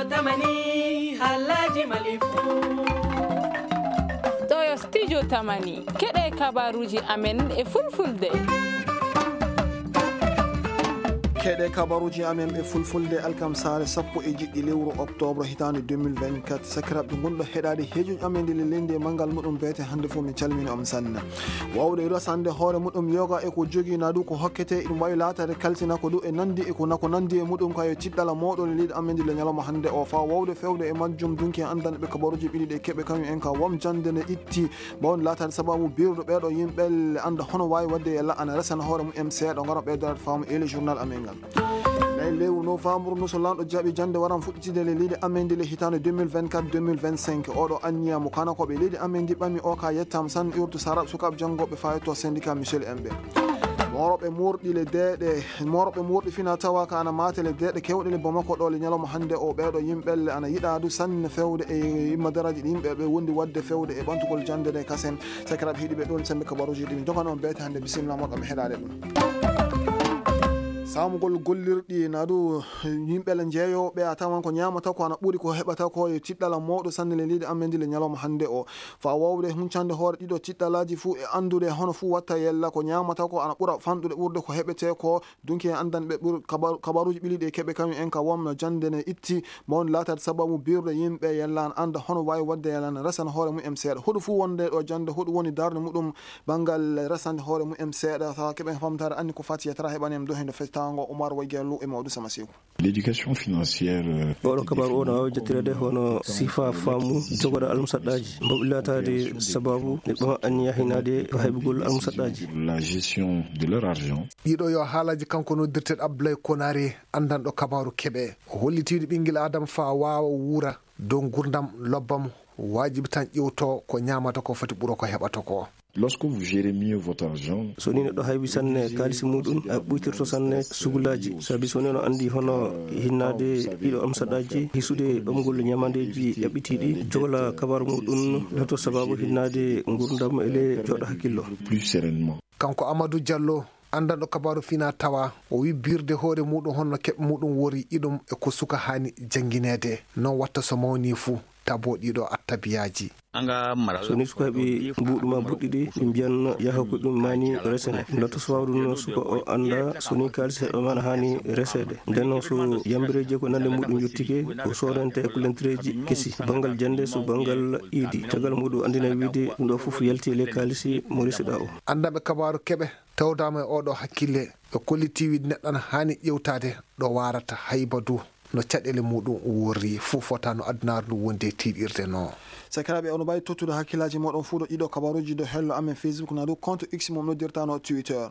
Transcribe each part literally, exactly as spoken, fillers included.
Tamani, halaji malifu. Ɗo yo studio Tamani. Keɗe kabaruji amen e fulfulde. Keɗe kabaruji amen e fulfulde alkamsaare sappo e jiɗɗi lewru octobre hitaande deux mille vingt-quatre. Sakiraaɓe, ngonɗo heɗaade heejuji amen nde leydi e manngal muɗum beete hannde fof, min calmini on sanne. Wawde resande hoore muɗum yoga e ko jogii na du ko hokkete, ɗum wawi laataade kalsina ko du e nandi e ko nako nandi e muɗum, kayo tiɗɗala mawɗo le leydi amen ndi le ñalawma hannde o, fa wawde fewde e majjum dunki e andanɓe kabaruji ɓiɗi ɗe keɓe kañum en ka wam jande ne itti. Bawon laataade sababu birɗo ɓeeɗo yimɓe le anda hono wawi wadde e la ana resana hoore mumen seeɗa ngara ɓeydoraade faamu e le journal amen ngal. Nayi lewru novembre no so lanɗo jaaɓi jande waran fuɗɗitide le leydi amen ndi le hitaande deux mille vingt-quatre deux mille vingt-cinq. Oɗo anniya mo kana ko ɓe leydi amen ndi ɓami o ka yettama sanne urdu sarab sukaaɓe janngoɓe fayto syndicat Michel Embe. Moroɓe murɗi le deeɗe, moroɓe murɗi fina tawa ka ana mate le deeɗe kewɗe le Bamako ɗo le ñalawma hannde o, ɓeeɗo yimɓe le ana yiɗa du sanne fewde e yimma daraji ɗi yimɓe ɓe wondi wadde fewde e ɓantugol jande nde kasen. Sakiraaɓe heɗiiɓe, ɗon sembe kabaruji ɗi min jogano on beete hannde, bisimilla moɗon mi heɗaade ɗum. Saamugol gollirɗi na du yimɓe le jeeyoɓe a tawan ko ñaamata ko ana ɓuri ko heɓata ko e tiɗɗala mawɗo sanne le leydi amen ndi le ñalawma hannde o. Fa wawde huncande hoore ɗiɗo tiɗɗalaji fuu e andude hono fuu watta yella ko ñaamata ko ana ɓura fanɗude ɓurde ko heɓete ko. Dunki en andanɓe ɓur kabar-, kabaruji ɓili ɗi e keɓe kañum en ka wamno jande ne itti. Mawni laataade sababu birɗo yimɓe yella an anda hono wawi wadde yella an resana hoore mumen seeɗa. Hoɗum fuu wonde ɗo jande hoɗum woni darnde muɗum banngal resande hoore mumen seeɗa. Tawa keɓen famtaare anni ko fati e tara heɓani en do hende festaango Oumar Waygello e Maodo Sama Seeku. L'éducation financière, euh, oɗo kabaru o no wawi jottireede hono sifa faamu jogoɗo almusaɗɗaaji mbaɗi laataade sababu neɗɗo anniya hinaade ko heɓugol almusaɗɗaaji. La gestion de leur argent. Ɗiɗo yo haalaji kanko noddirteɗo Abdoulaye Konare, andanɗo kabaru keɓe. O hollitiiɗo ɓinngel Adama fa waawa wuura dow ngurdam lobbam, waajibi tan ƴewto ko ñaamata ko foti ɓuro ko heɓata ko. Lorsque vous gérez mieux votre argent, so ni neɗɗo haybi sanne kaalisi muɗum, a ɓuytirto sanne sugulaaji. Sabi so ni no anndi hono hinnaade ɗiɗo amsaɗaaji, hisude ɓamgol ñamandeeji ƴaɓɓitiiɗi, jogola kabaru muɗum, lato sababu hinnaade ngurdam ele jooɗa hakkillo. Plus sereinement. Kanko Amadou Diallo, andanɗo kabaru fina tawa, o wi birde hoore muɗum honno keɓe muɗum wori iɗum e ko suka hani janngineede. Non watta so mawni fu, tabo ɗiɗo attabiyaji. So ni sukaaɓe mbuuɗu ma buɗɗi ɗi, ɓe mbiyan yaha ko ɗum mani resene. Lato so wawde no suka o anda so ni kaalis heɓe mana hani reseede. Nden noon so yambireeji ko nande muɗum yottike, o soodante ko lentereeji kesi. Banngal jannde so banngal iidi. Caggal muɗum andina wiide ɗum ɗo fof yalti e ley kaalisi mo resiɗa o. Andanɓe kabaru keɓe tawdama e oɗo hakkille, ɓe kolliti wiide neɗɗo ana haani ƴewtaade ɗo waarata hayba du no caɗeele muɗum worri, fof fota no addunaare ndu wondi e tiiɗirde no. Sakiraaɓe, ono mbawi tottude hakkillaji moɗon fuu ɗo ɗiɗo kabaruji ɗo hello amen Facebook na dow compte X mo noddirta no Twitter.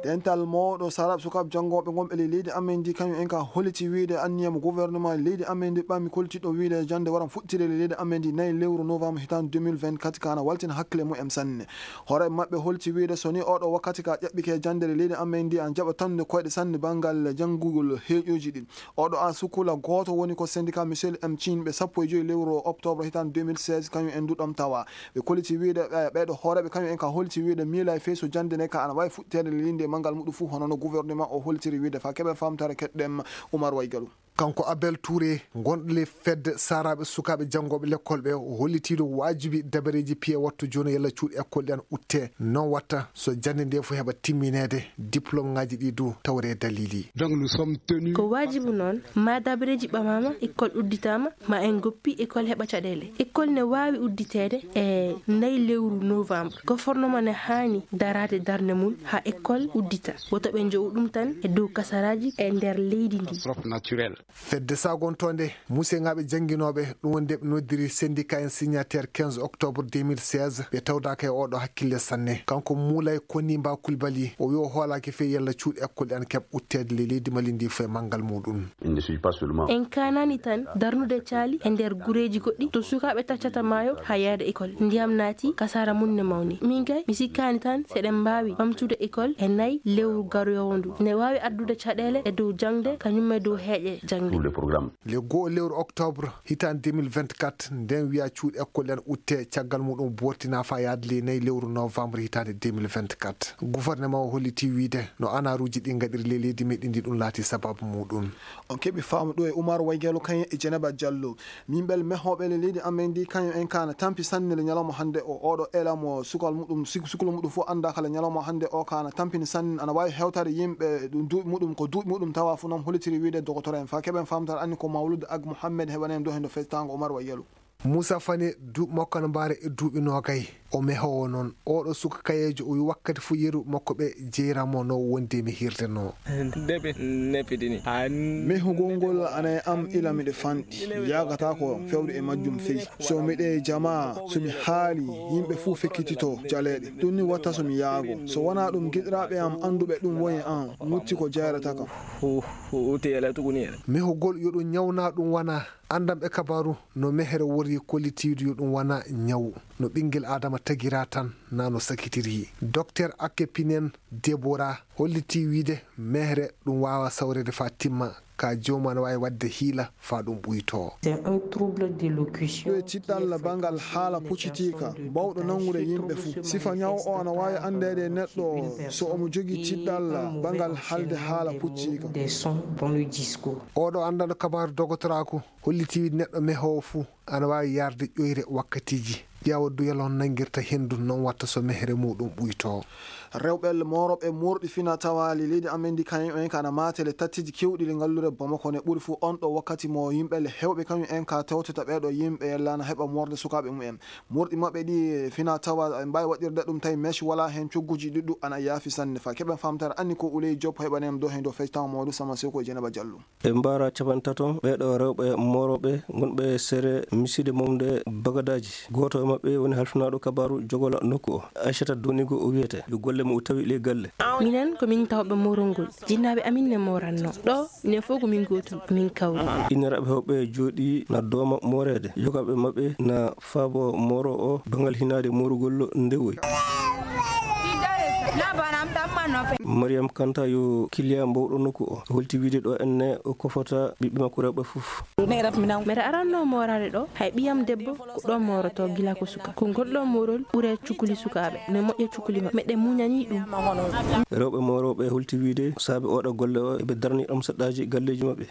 Dental mawɗo sarab sukaaɓe janngoɓe gonɓe ley leydi amen ndi, kañum en ka holliti wiide anniya mo gouvernement leydi amen ndi ɓami koltiɗo wiide jannde waran fuɗtire ley leydi amen ndi nayi lewru novembre hitaande deux mille vingt-quatre ka na waltina hakkille mumen sanne. Hoore maɓɓe holti wiide so ni oɗo wakkati ka ƴaɓɓike jannde ley leydi amen ndi an jaɓa tande koyɗe sanne banngal janngugol heeƴoji ɗin. Oɗo a sukula gooto woni ko syndicat Michel M Chin ɓe sappo e joyi lewru octobre hitaande deux mille seize kañum en duɗam tawa. Ɓe koliti wiide ɓe, ɓeɗo hooreɓe kañum en ka holti wiide miila e feyso jannde nde ka ana wawi fuɗtede linde manngal muɗum fuu hono no gouvernement o holtiri wiide fa keɓe famtare keɗɗem Oumar Waygalu. Kanko Abel Touré, gonɗo ley fedde saraɓe sukaaɓe janngoɓe lekkol ɓe, o hollitiiɗo waajibi dabareeji piye wattu jooni yalla cuuɗi ekkol ɗi an utte. Non watta so jannde nde fof heɓa timmineede, diplôme ŋaaji ɗi du tawre dalili. Donc nous sommes tenus. Ko waajibu noon ma dabareeji ɓamama, ekkol udditama, ma en goppi ekkol heɓa caɗeele. Ekkol ne waawi udditeede e nayi lewru novembre. Gouvernement ne haani daraade darnde mum haa ekkol uddita. Woto ɓe njowu ɗum tan e dow kasaraaji e nder leydi ndi. Catastrophe naturelle. Fedde sagontonde museŋaaɓe jannginooɓe, ɗum woni nde ɓe noddiri syndicat en signataire quinze octobre deux mille seize, ɓe tawdaaka e oɗo hakkille sanne. Kanko Moulay Konimba Coulibaly, o wi o hoolaaki fey yalla cuuɗi ekkol ɗi an keɓ utteede ley leydi Mali ndi fof e manngal muɗum. Il ne suffit pas seulement. En kaanani tan darnude caali e nder gureeji goɗɗi to sukaaɓe taccata maayo haa yaade école. Ndiyam naati, kasaara mum ne mawni. Min kay, mi sikkaani tan seɗen mbaawi ɓamtude école e nayi lewru garoowo ndu. Ne waawi addude caɗeele e dow jaŋde, kañum e dow heeƴe. Tous les programmes. Le goo lewru octobre hitaande deux mille vingt-quatre, nden wiya cuuɗi école en utte, caggal muɗum bortina fa yaade ley nayi lewru novembre hitaande deux mille vingt-quatre. Gouvernement o holliti wiide no anaruuji ɗi ngaɗiri ley leydi meɗen ndi ɗum laati sababu muɗum. On keɓi faamu ɗo e Umar Waygelo kañum e Jeneba Jallo. Min ɓel mehooɓe le leydi amen ndi kañum en kaana tampi sanne le ñalawma hannde o. Oɗo ela mo sukal muɗum, suk-, suklo muɗum fof annda kala ñalawma hannde o kaana tampini sanne, ana waawi hewtare yimɓe ɗum duuɓi muɗum, ko duuɓi muɗum tawa fof noon hollitiri wiide dogotoro en fa keɓen famtare anni ko Mawlud Ag Mohammed heɓanen ɗo hendo festango Umar Wayyalo. Moussa Fane, duuɓi makko ana mbaara e duuɓi noogay. O mehoowo noon. Oɗo suka kayeejo, o wi wakkati fof yeru makko ɓe jeyramo no wonde mi hirde no. Debe nepidini. Mehugol ngol ana e am ila miɗo fanɗi. Yaagata ko fewde e majjum fey. So miɗe jama, so mi haali, yimɓe fuu fekkitito jaleeɗe. Ɗum ni watta so mi yaago. So wonaa ɗum, giɗiraaɓe am annduɓe ɗum woni an, mutti ko jeerata kam. Hu-, hu-, huti ele tuguni ele. Mehugol yo ɗum ñawna ɗum wana. Anndanɓe kabaaru no mehere wori kollitiidu yo ɗum wana ñawu. No ɓinngel Aadama tagira tan, na no sakitiri. Docteur Akke Pinen Debora holliti wiide mehere ɗum waawa sawreede faa timma. Ka joomum ana waawi waɗde hiila faa ɗum ɓuytoo. C'est un trouble d'élocution. Ɗo e tiɗɗalla banngal haala puccitiika, bawɗo nanngude yimɓe fuu. Sifa ñaw o ana waawi anndeede e neɗɗo so omo jogii tiɗɗalla banngal haalde haala pucciika. Des sons dans le discours. Oɗo anndanɗo kabaaru dogotoraaku holliti wiide neɗɗo mehoowo fuu ana waawi yarde ƴoyre wakkatiiji. Ƴeewa duyal on nanngirta henndu, noon watta so mehere muuɗum ɓuytoo. Rewɓe moorooɓe moorɗi fina tawaali leydi amen ndi kañum en ka ana maatele tattiiji keewɗi ɗi ngalluure Bamako ne ɓuri fuu on ɗo wakkati mo yimɓe le heewɓe kañum en ka tewtata ɓee ɗo yimɓe yellaana heɓa moorde sukaaɓe mumen. Moorɗi maɓɓe ɗi fina tawa en mbaawi waɗirde ɗum tawi mèche wala heen cogguuji ɗuɗɗu ana yaafi sanne fa keɓen famtare anni ko Uley Diop heɓanen ɗo heen ɗo fectaw Mamadou Sama Seko e Jenaba Diallo. Ɓe mbaara capanɗe tato ɓee ɗo rewɓe moorooɓe ngonɓe sere miside momde bagadaaji. Gooto e maɓɓe woni halfinaaɗo kabaaru jogola nokku o, Aissata Donigo o wiyete. Yo golle mo o tawi le galle. Minen ko min tawɓe moorongol. Jinnaaɓe amin ne mooranno. Ɗo, minen fof ko min gootum, min kawri. Inniraaɓe heewɓe jooɗi na dooma mooreede. Yogaaɓe maɓɓe na faabo mooro o, bangal hinaade moorugol ndewoy. Mariam Kanta yo kiliya mbowɗo nokku o. Holti wiide ɗo enne o kofota ɓiɓɓe makko rewɓe fof. Mbeɗa aranno mooraade ɗo, hay ɓiyam debbo ko ɗo mooroto gila ko suka. Ko ngol ɗo moorol ɓure cukuli sukaaɓe, ne moƴƴa cukuli maɓɓe. Meɗen muñani ɗum. Rewɓe moorooɓe holti wiide saabe oɗo golle o, eɓe darani ɗom seɗɗaaji galleeji maɓɓe.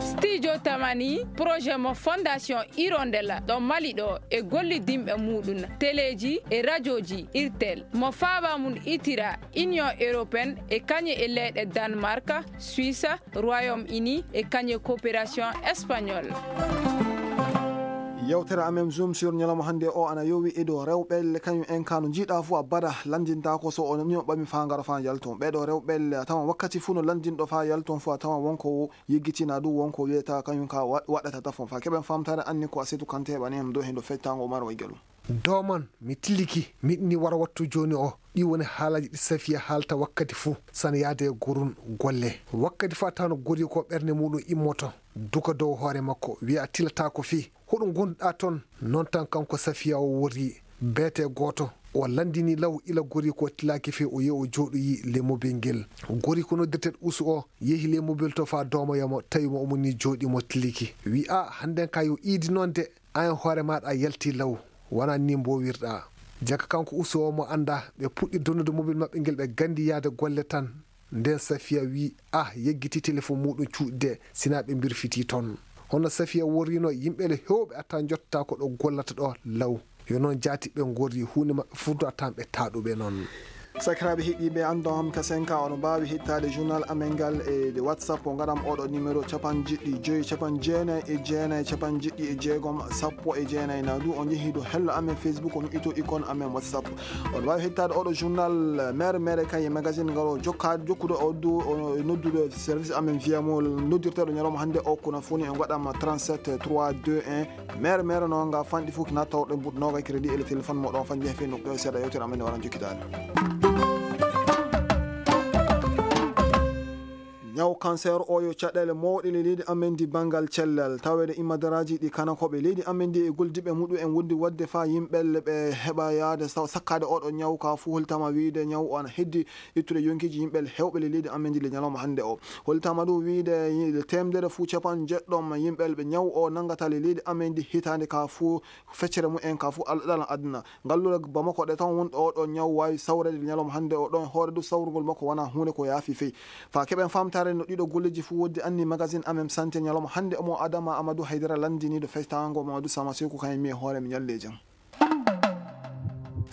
Studio Tamani, projet mo Fondation Hirondelle ɗo Mali ɗo e gollidinɓe muɗum, teleeji e rajooji Irtel, mo faaba mum itira Union Européenne e kañe e leyɗe Danemark, Suisse, Royaume-Uni e kañe coopération espagnole. Yewtere amen Zoom sur ñalawma hannde o ana yowi e dow rewɓe kañum en ka no njiiɗa fof a bada lanndinta ko so o nani o ɓami fa ngara fa yalton. Ɓeɗo rewɓe a tawan wakkati fof no lanndinɗo fa yalton fof a tawan wonko yeggitina ɗum wonko wiyata kañum ka wa-, waɗata tafon fa keɓen famtare anni ko a setu kante heɓani hem ɗo hendo fectango Umar Waygalu. Dooman, mi tiliki, miɗni wara wattu jooni o. Ɗi woni haalaaji ɗi Safiya haalta wakkati fuu, sana yaade e gorun golle. Wakkati fuu a tawan gori ko ɓernde muɗum immoto, duka dow hoore makko, wiya a tilataako fii. Hoɗum ngonduɗaa ton? Noon tan kanko Safiya o worri beete gooto. O lanndini law ila gori ko tilaaki fii o yehi o jooɗoyi le mobil ngel. Gori ko noddirteeɗo Usu o yehi le mobil to faa doomoyamo, tawi mo omo ni jooɗi mo tiliki. Wi a, hannden ka yo iidi noon de. An e hoore maaɗa a yaltii law, wonaa nii mboowirɗaa. Jaka kanko Usu o mo anndaa, ɓe puɗɗi donnude mobil maɓɓe ngel, ɓe nganndi yahde golle tan. Ndeen Safiya wii, ah, yeggitii telefon muuɗum cuuɗi de, sinaa ɓe mbirfitii toon. Hono Safiya worriino, yimɓe le heewɓe attaa njottataa ko ɗo gollata ɗo law. Yo noon jaati ɓe ngorri, huunde maɓɓe fuu du attaa ɓe taaɗuɓe noon. Sakiraaɓe heɗiiɓe, anndon am ka senka, oɗon mbaawi heɗtaade journal amen ngal e WhatsApp, o ngaɗam oɗo numéro, capanɗe jeɗɗi e joy, capanɗe jeenayi e jeenayi, capanɗe jeɗɗi e jeegom, sappo e jeenayi. Na du on njehii dow hello amen Facebook, on ito icône amen WhatsApp. Oɗon mbaawi heɗtaade oɗo journal mere mere kay e magazine ngal o jokkaade, jokkude o du, o noddude service amen via mo noddirteeɗo ñalawma hannde o, kono fuu ni en ngaɗam trente-sept trois deux un. Mere mere noon nga fanɗi fof kina tawɗen but noga crédit e le téléphone mo ɗon fanɗi hefe nokɗo e seeɗa yewtere amen nde waran jokkitaade. Ñaw cancer o yo caɗeele mawɗe le leydi amen ndi banngal cellal. Taweede imadaraaji ɗi kanakooɓe leydi amen ndi e goldiiɓe muɗum en wondi waɗde faa yimɓe ɓe heɓa yahde saw-, sakkaade oɗo ñaw ka fuu holtama wiyde ñaw o ana heddi ittude yonkiiji yimɓe heewɓe le leydi amen ndi le ñalawma hannde o. Holtama ɗum wiyde le teemedere fuu capanɗe jeɗɗo yimɓe ɓe ñaw o nanngata le leydi amen ndi hitaande ka fuu feccere mum en ka fuu alɗalan aduna. Ngalluure Bamako ɗe tan wonɗo oɗo ñaw waawi sawreede ñalawma hannde o ɗon hoore du sawrugol makko wona huunde ko yaafi fey. Fa keɓen famtaare no ɗiɗo golleeji fuu woddi anni magazine amen santé ñalawma hannde omo Adama Amadou Haydara lanndiniiɗo festaango Mamadou Sama Seku kan e mi e hoore mi ñalle jam.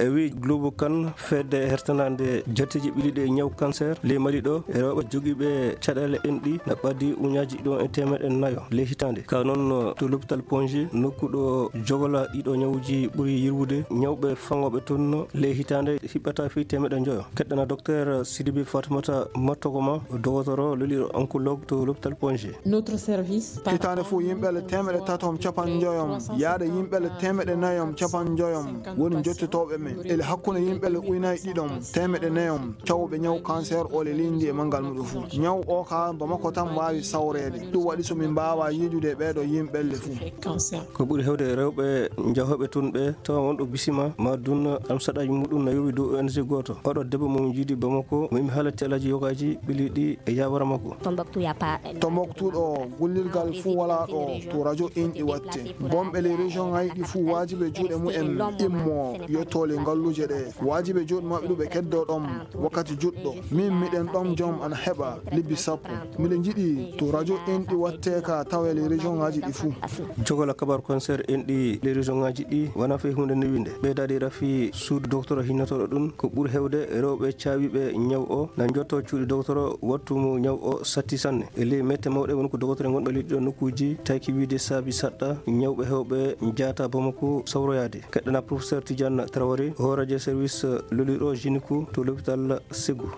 E wi Globo kan fedde hertanande jatteji ɓiliɗe e ñaw cancer ley Mali ɗo e rewɓe jogiiɓe caɗeele enɗi na ɓaddi uñaaji ɗiɗon e teemeɗe nayo ley hitaande. Ka noon to l'hôpital Ponji nokku ɗo jogola ɗiɗo ñawuji ɓuri yirwude ñawɓe faŋooɓe toon ley hitaande hiɓɓata fii teemeɗe njoyo. Keɗɗana Docteur Sidibi Fatmata Mattogoma dogotoro loliɗo oncologue to l'hôpital Ponji. Notre service par hitaande fof yimɓe le teemeɗe tatom capanɗe njoyom yaade yimɓe le teemeɗe nayom capanɗe njoyom woni jottotooɓe men ele hakkunde yimɓe le uynay ɗiɗom teemeɗe nayom cawɓe ñaw cancer o le leydi e manngal muɗum fof. Ñaw o ka Bamako tan waawi sawreede. Ɗum waɗi so min mbaawa yiidude ɓeeɗo yimɓe le fof. Ko ɓuri heewde e rewɓe njahooɓe toon ɓe tawa wonɗo bisima ma dun amsaɗaaji muɗum na yowi dow O N G gooto. Oɗo debbo mo min njiidi Bamako mo imi haalati alaaji yogaaji ɓili ɗi e yawara makko. Tombouctou ɗo gollirgal fuu walaa ɗo to radio inɗi watte. Bonɓe ley région ŋaaji ɗi fuu waajibe juuɗe mumen immo yetto ley ngalluuje ɗe. Waajibe juuɗe maɓɓe ɗum ɓe keddoo ɗon wakkati juɗɗo. Min miɗen ɗon jom ana heɓa lebbi sappo. Miɗen njiɗi to radio inɗi watte ka tawe ley région ŋaaji ɗi fuu. Jogola kabar cancer enɗi ley région ŋaaji ɗi wona fey huunde newinde. Ɓeydaade rafi suudu dogotoro hinnotooɗo ɗum ko ɓuri heewde rewɓe caawiiɓe ñaw o na njotto cuuɗi dogotoro wattu mo ñaw o satti sanne. E ley mette mawɗe woni ko dogotoro en wonɓe leydi ɗo nokkuuji tawki wiide saabi saɗɗa ñawɓe heewɓe njaata Bamako sawroyaade. Keɗɗana professeur Tidiane Traoré, hooreejo service loliro gynéco to l'hôpital Ségou.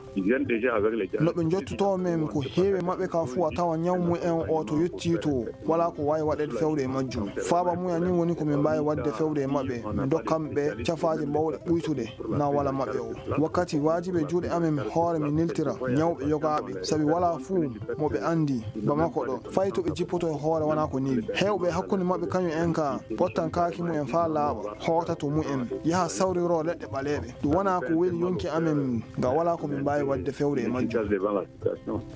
No ɓe njottotoo men ko heewi maɓɓe ka fuu a tawa ñaw mumen o to yettii to. Walaa ko waawi waɗeede fewde e majjum. Faaba mumen ni woni ko min mbaawi waɗde fewde e maɓɓe. Min ndokkan ɓe cafaaje mawɗe ɓuytude na wala maɓɓe o. Wakkati waajibe juuɗe amen hoore min neltira ñawɓe yogaaɓe. Sabi walaa fuu mo ɓe anndi Bamako ɗo. Fay to ɓe jippoto e hoore wona ko newi. Heewɓe hakkunde maɓɓe kañum en ka pottan kaaki mumen faa laaɓa. Hoota to mumen. Yaha sawriro leɗɗe ɓaleeɓe. Ɗum wona ko weli yonki amen. Nga walaa ko min mbaawi waɗde fewde e majjum.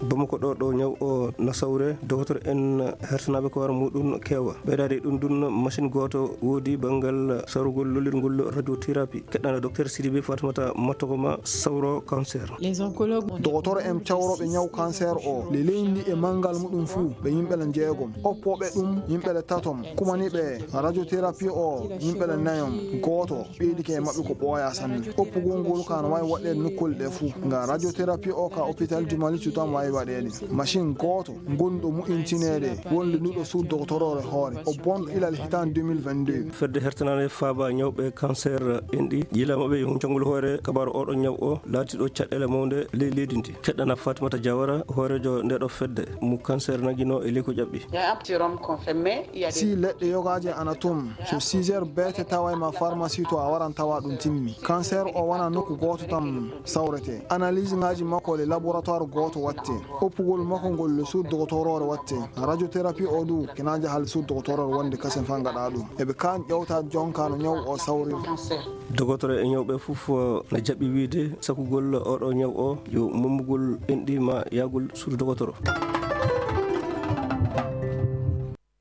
Bamako ɗo ɗo ñaw o na sawre, dogotoro en hertanaaɓe ko wara muɗum keewa. Ɓeydaade ɗum ɗum machine gooto woodi banngal sawrugol lolirngol radiothérapie. Keɗɗana Docteur Sidibe Fatmata Mattogoma sawro cancer. Dogotoro en cawrooɓe ñaw cancer o le leydi e manngal muɗum fuu ɓe yimɓe le njeegom. Oppooɓe ɗum yimɓe le tatom. Kumaniiɓe radiothérapie o yimɓe le nayom. Gooto ɓeydike e maɓɓe ko ɓooya sanne. Oppugol ngol ka no waawi waɗeede nokkuule ɗe fuu. Nga radiothérapie o ka hôpital du Mali tan waawi waɗeede. Machine gooto gonɗo mu'intineede wonde nuɗo suudu dogotoroore hoore. O bonɗo ilal hitaande deux mille vingt-deux. Fedde hertanaande faaba ñawɓe cancer enɗi yiila maɓɓe yo hun canngol hoore kabaaru oɗo ñaw o laatiɗo caɗeele mawnde ley leydi ndi. Keɗɗana Fatimata Jawara hooreejo nde ɗo fedde mo cancer nagino e ley ko ƴaɓɓi. Si leɗɗe yogaaje ana toon, so six heures beete tawa e ma pharmacie to a waran tawa ɗum timmi. Cancer o wona nokku gooto tan sawrete. Analyse ngaaji makko le laboratoire gooto watte. Oppugol makko ngol le suudu dogotoroore watte. Radiothérapie o du kina jahal suudu dogotoroore wonde kasen fa ngaɗa ɗum. Eɓe kaan ƴewta jonka no ñaw o sawri. Dogotoro e ñawɓe fof na jaɓi wiide sakugol oɗo ñaw o yo mommugol enɗi ma yahgol suudu dogotoro.